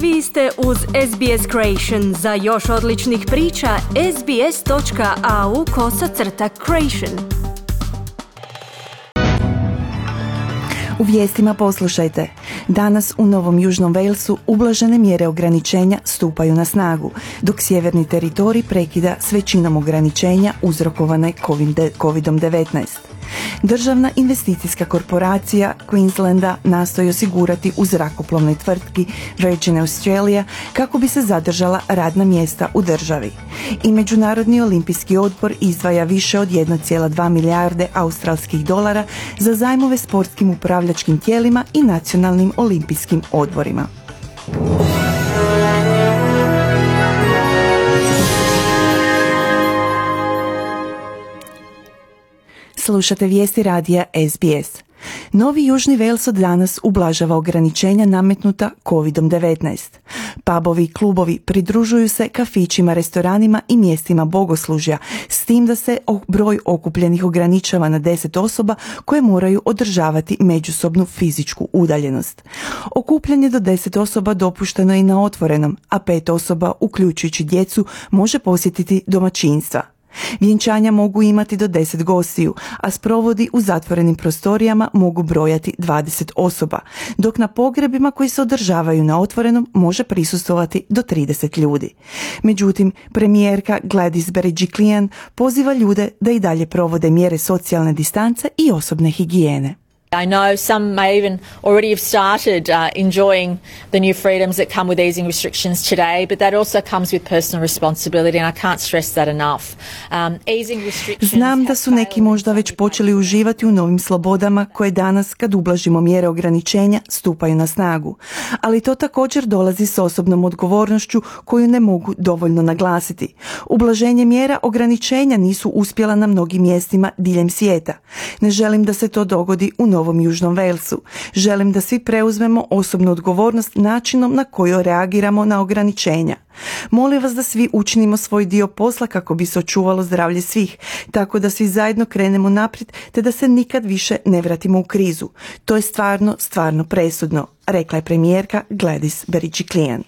Vi ste uz SBS Creation. Za još odličnih priča, sbs.au/creation. U vijestima poslušajte. Danas u Novom Južnom Walesu ublažene mjere ograničenja stupaju na snagu, dok sjeverni teritorij prekida s većinom ograničenja uzrokovane COVID-19. Državna investicijska korporacija Queenslanda nastoji osigurati u zrakoplovnoj tvrtki Virgin Australia kako bi se zadržala radna mjesta u državi. I Međunarodni olimpijski odbor izdvaja više od 1,2 milijarde australskih dolara za zajmove sportskim upravljačkim tijelima i nacionalnim olimpijskim odborima. Slušate vijesti radija SBS. Novi Južni Wales od danas ublažava ograničenja nametnuta COVID-19. Pubovi i klubovi pridružuju se kafićima, restoranima i mjestima bogoslužja, s tim da se broj okupljenih ograničava na 10 osoba koje moraju održavati međusobnu fizičku udaljenost. Okupljanje do 10 osoba dopušteno je i na otvorenom, a 5 osoba, uključujući djecu, može posjetiti domaćinstva. Vjenčanja mogu imati do 10 gostiju, a sprovodi u zatvorenim prostorijama mogu brojati 20 osoba, dok na pogrebima koji se održavaju na otvorenom može prisustvovati do 30 ljudi. Međutim, premijerka Gladys Berejiklian poziva ljude da i dalje provode mjere socijalne distance i osobne higijene. I know some may even already have started enjoying the new freedoms that come with easing restrictions today, but that also comes with personal responsibility, and I can't stress that enough. Easing restrictions. Znam da su neki možda već počeli uživati u novim slobodama koje danas, kad ublažimo mjere ograničenja, stupaju na snagu. Ali to također dolazi s osobnom odgovornošću koju ne mogu dovoljno naglasiti. Ublaženje mjera ograničenja nisu uspjela na mnogim mjestima diljem svijeta. Ne želim da se to dogodi u Novom Južnom Walesu. Želim da svi preuzmemo osobnu odgovornost načinom na koji reagiramo na ograničenja. Molim vas da svi učinimo svoj dio posla kako bi se očuvalo zdravlje svih, tako da svi zajedno krenemo naprijed te da se nikad više ne vratimo u krizu. To je stvarno presudno, rekla je premijerka Gladys Berejiklian.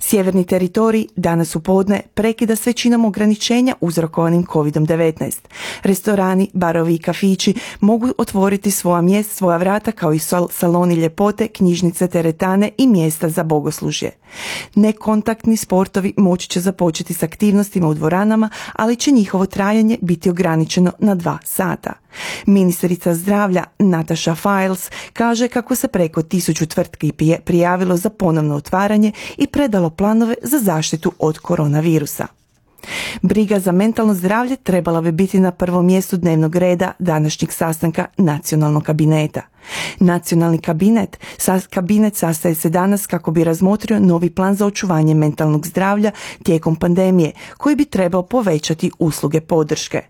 Sjeverni teritorij danas u podne prekida s većinom ograničenja uzrokovanim COVID-19. Restorani, barovi i kafići mogu otvoriti svoja vrata kao i saloni ljepote, knjižnice, teretane i mjesta za bogoslužje. Nekontaktni sportovi moći će započeti s aktivnostima u dvoranama, ali će njihovo trajanje biti ograničeno na 2 sata. Ministrica zdravlja Natasha Fyles kaže kako se preko 1000 tvrtki prijavilo za ponovno otvaranje i predalo planove za zaštitu od koronavirusa. Briga za mentalno zdravlje trebala bi biti na prvom mjestu dnevnog reda današnjeg sastanka nacionalnog kabineta. Nacionalni kabinet sastaje se danas kako bi razmotrio novi plan za očuvanje mentalnog zdravlja tijekom pandemije, koji bi trebao povećati usluge podrške.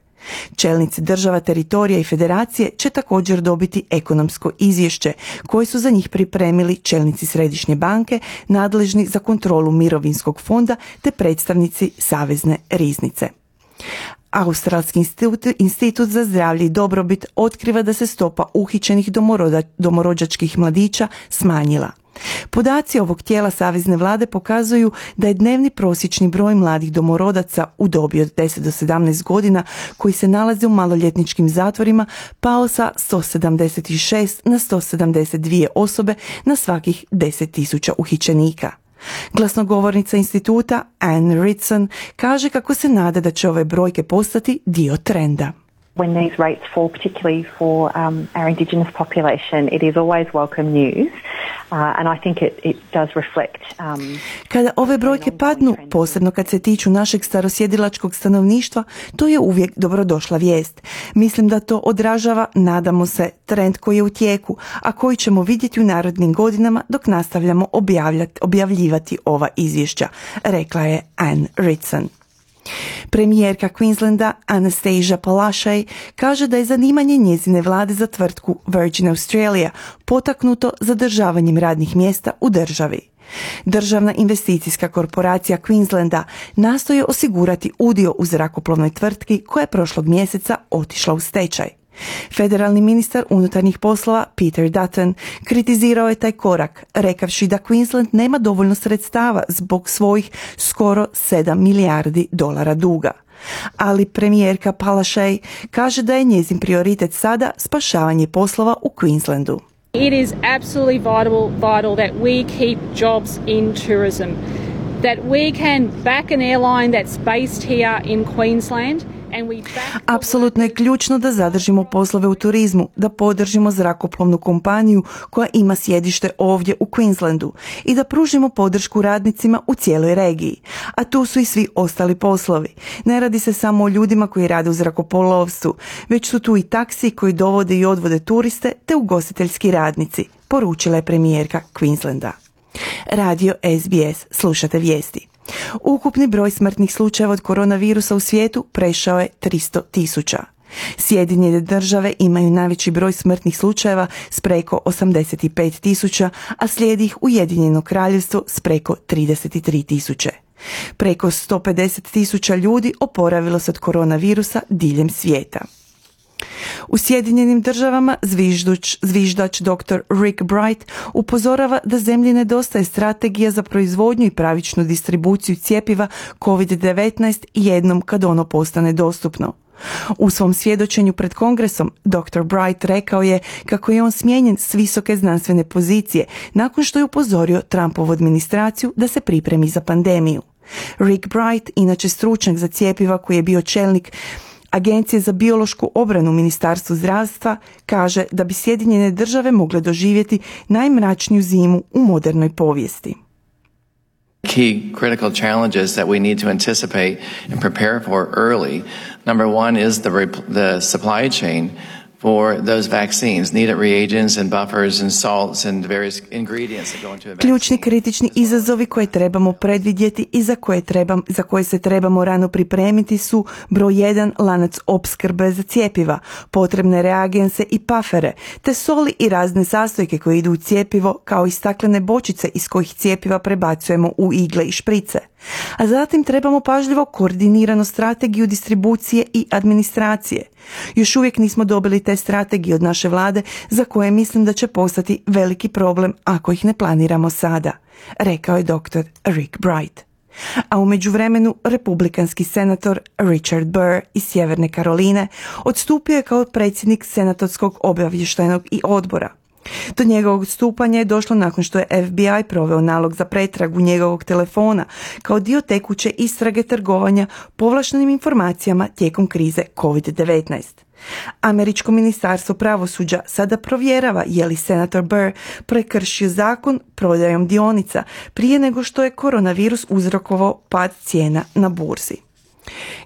Čelnici država, teritorija i federacije će također dobiti ekonomsko izvješće koje su za njih pripremili čelnici Središnje banke, nadležni za kontrolu mirovinskog fonda te predstavnici Savezne riznice. Australski institut za zdravlje i dobrobit otkriva da se stopa uhićenih domorođačkih mladića smanjila. Podaci ovog tijela savezne vlade pokazuju da je dnevni prosječni broj mladih domorodaca u dobi od 10 do 17 godina koji se nalaze u maloljetničkim zatvorima pao sa 176 na 172 osobe na svakih 10.000 uhićenika. Glasnogovornica instituta Anne Ritson kaže kako se nada da će ove brojke postati dio trenda. When these rates fall, particularly for our Indigenous population, it is always welcome news, and I think it does reflect. Kada ove brojke padnu, posebno kad se tiču našeg starosjedilačkog stanovništva, to je uvijek dobrodošla vijest. Mislim da to odražava, nadamo se, trend koji je u tijeku, a koji ćemo vidjeti u narednim godinama dok nastavljamo objavljivati ova izvješća, rekla je Anne Ritson. Premijerka Queenslanda Anastasia Palaszczuk kaže da je zanimanje njezine vlade za tvrtku Virgin Australia potaknuto zadržavanjem radnih mjesta u državi. Državna investicijska korporacija Queenslanda nastoji osigurati udio u zrakoplovnoj tvrtki koja je prošlog mjeseca otišla u stečaj. Federalni ministar unutarnjih poslova Peter Dutton kritizirao je taj korak, rekavši da Queensland nema dovoljno sredstava zbog svojih skoro 7 milijardi dolara duga. Ali premijerka Palaszczuk kaže da je njezin prioritet sada spašavanje poslova u Queenslandu. It is absolutely vital that we keep jobs in tourism, that we can back an airline that's based here in Queensland. Apsolutno je ključno da zadržimo poslove u turizmu, da podržimo zrakoplovnu kompaniju koja ima sjedište ovdje u Queenslandu i da pružimo podršku radnicima u cijeloj regiji. A tu su i svi ostali poslovi. Ne radi se samo o ljudima koji rade u zrakoplovstvu, već su tu i taksi koji dovode i odvode turiste te ugostiteljski radnici, poručila je premijerka Queenslanda. Radio SBS, slušate vijesti. Ukupni broj smrtnih slučajeva od koronavirusa u svijetu prešao je 300.000. Sjedinjene države imaju najveći broj smrtnih slučajeva s preko 85.000, a slijedi ih Ujedinjeno kraljevstvo s preko 33.000. Preko 150.000 ljudi oporavilo se od koronavirusa diljem svijeta. U Sjedinjenim državama zviždač dr. Rick Bright upozorava da zemlji nedostaje strategija za proizvodnju i pravičnu distribuciju cjepiva COVID-19 jednom kad ono postane dostupno. U svom svjedočenju pred Kongresom dr. Bright rekao je kako je on smijenjen s visoke znanstvene pozicije nakon što je upozorio Trumpovu administraciju da se pripremi za pandemiju. Rick Bright, inače stručnjak za cjepiva koji je bio čelnik Agencije za biološku obranu Ministarstvu zdravstva, kaže da bi Sjedinjene države mogle doživjeti najmračniju zimu u modernoj povijesti. Key critical challenges that we need to anticipate and prepare for early. Number one is the supply chain for those vaccines, needed reagents and buffers and salts and various ingredients that go into a vaccine. Ključni kritični izazovi koje trebamo predvidjeti i za koje se trebamo rano pripremiti su broj 1 lanac opskrbe za cjepiva, potrebne reagense i pafere, te soli i razne sastojke koje idu u cjepivo, kao i staklene bočice iz kojih cjepiva prebacujemo u igle i šprice. A zatim trebamo pažljivo koordiniranu strategiju distribucije i administracije. Još uvijek nismo dobili te strategije od naše vlade za koje mislim da će postati veliki problem ako ih ne planiramo sada, rekao je dr. Rick Bright. A u međuvremenu republikanski senator Richard Burr iz Sjeverne Karoline odstupio je kao predsjednik senatorskog obavještajnog i odbora. Do njegovog odstupanja je došlo nakon što je FBI proveo nalog za pretragu njegovog telefona kao dio tekuće istrage trgovanja povlaštenim informacijama tijekom krize COVID-19. Američko ministarstvo pravosuđa sada provjerava je li senator Burr prekršio zakon prodajom dionica prije nego što je koronavirus uzrokovao pad cijena na burzi.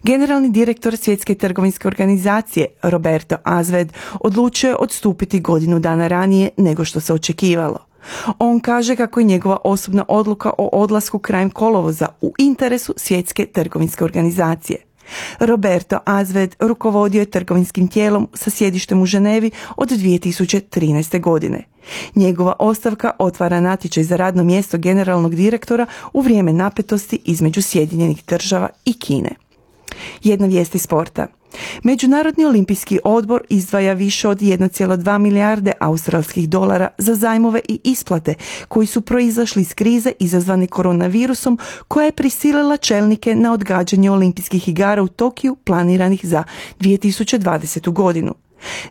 Generalni direktor Svjetske trgovinske organizacije Roberto Azved odlučio je odstupiti godinu dana ranije nego što se očekivalo. On kaže kako je njegova osobna odluka o odlasku krajem kolovoza u interesu Svjetske trgovinske organizacije. Roberto Azved rukovodio je trgovinskim tijelom sa sjedištem u Ženevi od 2013. godine. Njegova ostavka otvara natječaj za radno mjesto generalnog direktora u vrijeme napetosti između Sjedinjenih država i Kine. Jedna vijest iz sporta. Međunarodni olimpijski odbor izdvaja više od 1,2 milijarde australskih dolara za zajmove i isplate koji su proizašli iz krize izazvane koronavirusom koja je prisilila čelnike na odgađanje olimpijskih igara u Tokiju planiranih za 2020. godinu.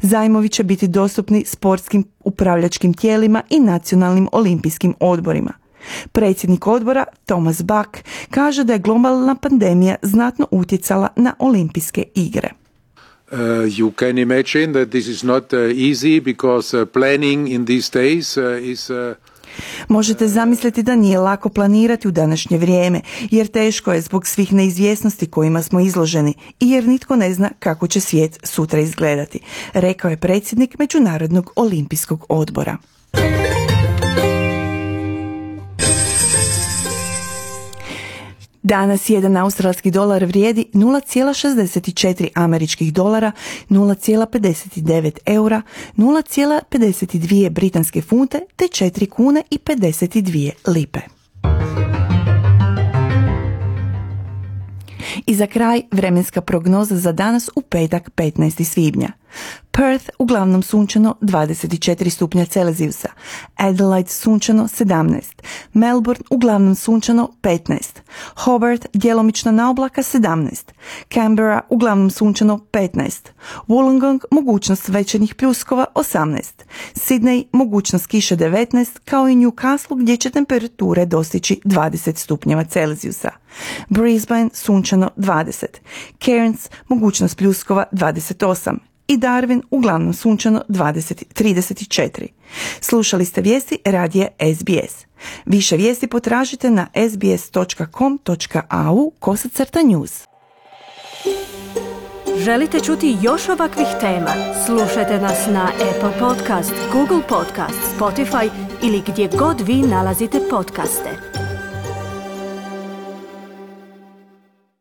Zajmovi će biti dostupni sportskim upravljačkim tijelima i nacionalnim olimpijskim odborima. Predsjednik odbora, Thomas Bach, kaže da je globalna pandemija znatno utjecala na olimpijske igre. You can imagine that this is not easy because planning in these days is Možete zamisliti da nije lako planirati u današnje vrijeme, jer teško je zbog svih neizvjesnosti kojima smo izloženi i jer nitko ne zna kako će svijet sutra izgledati, rekao je predsjednik Međunarodnog olimpijskog odbora. Danas jedan australski dolar vrijedi 0,64 američkih dolara, 0,59 eura, 0,52 britanske funte te 4 kune i 52 lipe. I za kraj vremenska prognoza za danas u petak 15. svibnja. Perth uglavnom sunčano 24 stupnja Celzijusa, Adelaide sunčano 17, Melbourne uglavnom sunčano 15, Hobart djelomično na oblaka 17, Canberra uglavnom sunčano 15, Wollongong mogućnost večernjih pljuskova 18, Sydney mogućnost kiše 19, kao i Newcastle gdje će temperature dostići 20 stupnjeva Celzijusa, Brisbane sunčano 20, Cairns mogućnost pljuskova 28 i Darwin uglavnom sunčano 34. Slušali ste vijesti radija SBS. Više vijesti potražite na sbs.com.au/news. Želite čuti još ovakvih tema? Slušajte nas na Apple Podcast, Google Podcast, Spotify ili gdje god vi nalazite podcaste.